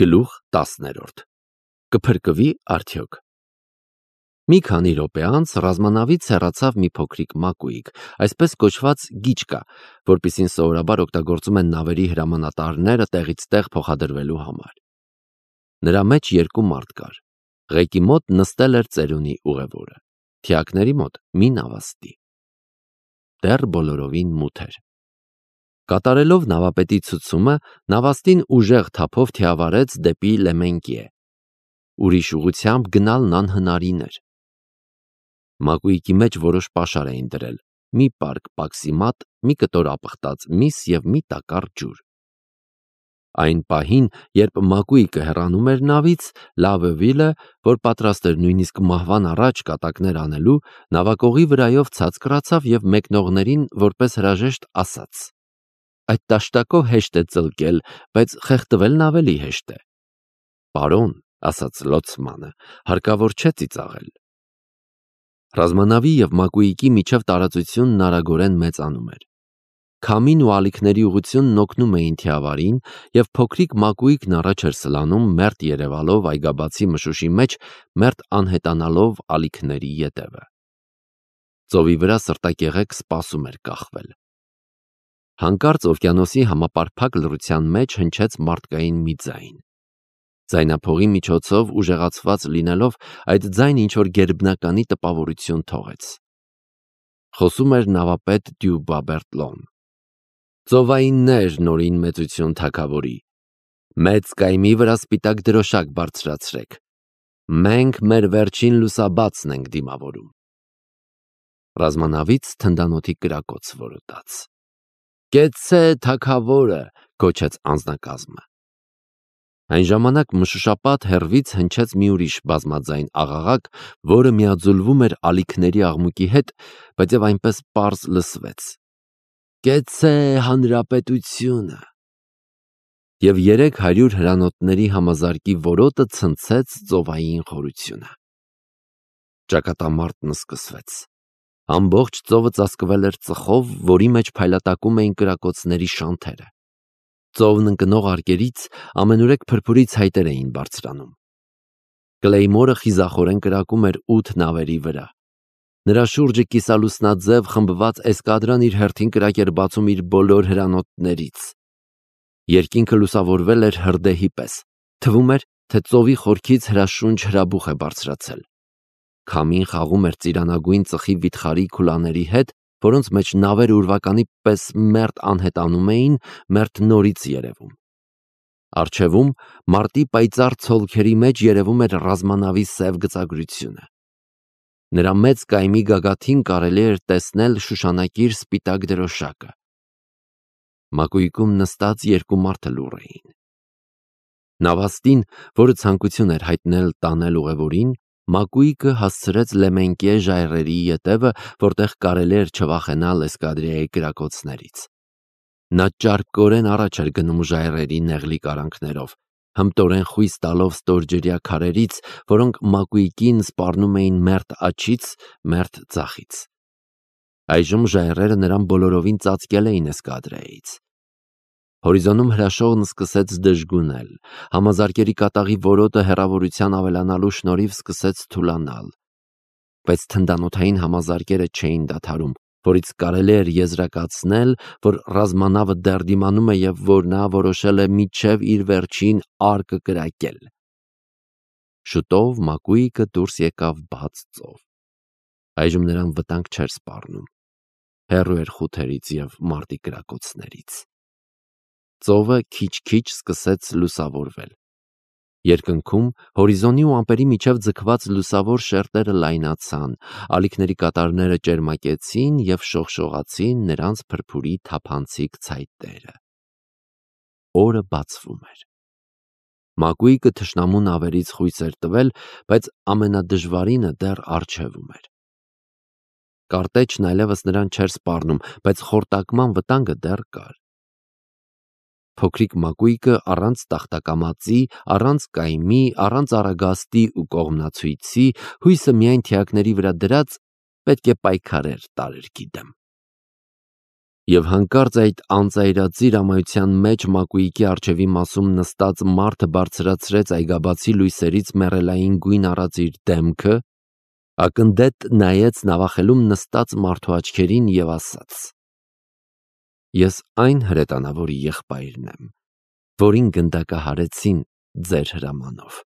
Գլուխ 10. Կփրկվի արդյոք։ Մի քանի րոպե անց ռազմանավից հեռացավ մի փոքրիկ մակույիկ, այսպես կոչված գիչկա, որպիսին սովորաբար օգտագործում են նավերի հրամանատարները տեղից տեղ փոխադրվելու համար։ Նրա մեջ երկու մարդ կար։ Ղեկի մոտ նստել էր ծերունի ուղևորը, թիակների մոտ մի նավաստի։ Դեռ բոլորովին մութ էր։ Կատարելով նավապետի ցուցումը, նավաստին ուժեղ թափով թիավարեց դեպի Լեմենկիե։ Ուրիշ ուղությամբ գնալն անհնարին էր։ Մակույկի մեջ որոշ պաշար էին դրել, մի պարկ պաքսիմատ, մի կտոր ապխտած միս և մի տակառ ջուր։ Այն պահին, երբ մակույկը հեռանում էր նավից, Լավևիլը, որ պատրաստ էր նույնիսկ մահվան առաջ կատակներ անելու, նավակողի վրայով ցած կռացավ և մեկնողներին որպես հրաժեշտ ասաց. «Այդ տաշտակով հեշտ է ծլկել, բայց խեղդվելն ավելի հեշտ է»։ «Պարոն», ասաց լոցմանը, «հարկավոր չէ ծիծաղել»։ Ռազմանավի և մակույկի միջև տարածությունն արագորեն մեծանում էր։ Քամին ու ալիքների ուղղությունն օգնում էին թիավարին, և փոքրիկ մակույկն առաջ էր սլանում, մերթ երևալով այգաբացի մշուշի մեջ, մերթ անհետանալով ալիքների ետևը։ Ծովի վրա սրտակեղեք սպասում էր կախվել։ Հանկարծ օվկիանոսի համապարփակ լռության մեջ հնչեց մարդկային մի ձայն։ Ձայնափողի միջոցով ուժեղացված լինելով, այդ ձայնը ինչ-որ գերբնականի տպավորություն թողեց։ Խոսում էր նավապետ Դյուբաբերտլոն։ «Ծովայիններ, նորին մեծություն թագավորի, մեծ կայմի վրա սպիտակ դրոշակ բարձրացրեք, մենք մեր վերջին լուսաբացն ենք դիմավորում»։ Ռազմանավից թնդանոթի կրակոց որոտաց։ «Կեցցե թագավորը», գոչեց անձնակազմը։ Այն ժամանակ մշուշապատ հեռվից հնչեց մի ուրիշ բազմաձայն աղաղակ, որը միաձուլվում էր ալիքների աղմուկի հետ, բայց և այնպես պարզ լսվեց. «Կեցցե հանրապետությունը»։ Եվ 300 հրանոթների համազարկի որոտը ցնցեց ծովային խորությունը։ Ճակատամարտն սկսվեց։ Ամբողջ ծովը ծածկվել էր ծխով, որի մեջ փայլատակում էին կրակոցների շանթերը։ Ծովն ընկնող արկերից ամենուրեք փրփուրից հայտեր էին բարձրանում։ Կլեյմորը խիզախորեն կրակում էր 8 նավերի վրա։ Նրա շուրջը կիսալուսնաձև խմբված էսկադրան իր հերթին կրակ էր բացում իր բոլոր հրանոթներից։ Երկինքը լուսավորվել էր հրդեհի պես։ Թվում էր, թե ծովի խորքից հրաշունչ հրաբուխ է բարձրացել։ Քամին խաղում էր ծիրանագույն ծխի վիթխարի քուլաների հետ, որոնց մեջ նավերը ուրվականի պես մերթ անհետանում էին, մերթ նորից երևում։ Առջևում, մարտի պայծառ ցոլքերի մեջ երևում էր ռազմանավի սև գծագրությունը։ Նրա մեծ կայմի գագաթին կարելի էր տեսնել շուշանակիր սպիտակ դրոշակը։ Մակույկում նստած երկու մարդ լուռ էին։ Նավաստին, որը ցանկություն էր հայտնել տանել ուղևորին, մակույկը հասցրեց Լեմենկիե ժայռերի ետևը, որտեղ կարելի էր չվախենալ էսկադրիայի կրակոցներից։ Նա ճարպկորեն առաջ էր գնում ժայռերի նեղլիկ արանքներով, հմտորեն խույս տալով ստորջրյա քարերից, որոնք մակույկին սպառնում էին մերթ աջից, մերթ ձախից։ Այժմ ժայռերը նրան բոլորովին ծածկել էին էսկադրայից։ Հորիզոնում հրաշողն սկսեց դժգունել, համազարկերի կատաղի որոտը հեռավորության ավելանալու շնորհիվ սկսեց թուլանալ։ Բայց թնդանոթային համազարկերը չէին դադարում, որից կարելի էր եզրակացնել, որ ռազմանավը դեռ դիմանում է և որ նա որոշել է մինչև իր վերջին արկը կրակել։ Շուտով մակույկը դուրս եկավ բաց ծով։ Այժմ նրան վտանգ չէր սպառնում։ Հեռու էր խութերից և մարտի կրակոցներից։ Ծովը քիչ-քիչ սկսեց լուսավորվել։ Երկնքում հորիզոնի ու ամպերի միջև ձգված լուսավոր շերտերը լայնացան, ալիքների կատարները ճերմակեցին և շողշողացին նրանց փրփուրի թափանցիկ ցայտերը։ Օրը բացվում էր։ Մակույկը թշնամու նավերից խույս էր տվել, բայց ամենադժվարինը դեռ առջևում էր։ Կարտեչն այլևս նրան չէր սպառնում, բայց խորտակման վտանգը դեռ կար։ Փոքրիկ մակույկը առանց տախտակամածի, առանց կայմի, առանց առագաստի ու կողմնացույցի, հույսը միայն թիակների վրա դրած, պետք է պայքարեր տարերքի դեմ։ Եվ հանկարծ այդ անծայրածիր ամայության մեջ Մակուիկի առջևի մասում նստած մարդը բարձրացրեց այգաբացի լույսերից մեռելային գույն առած իր դեմքը, ակնդետ նայեց նավախելում նստած մարդու աչքերին և ասաց. «Ես այն հրետանավորի եղբայրն եմ, որին գնդակահարեցին ձեր հրամանով»։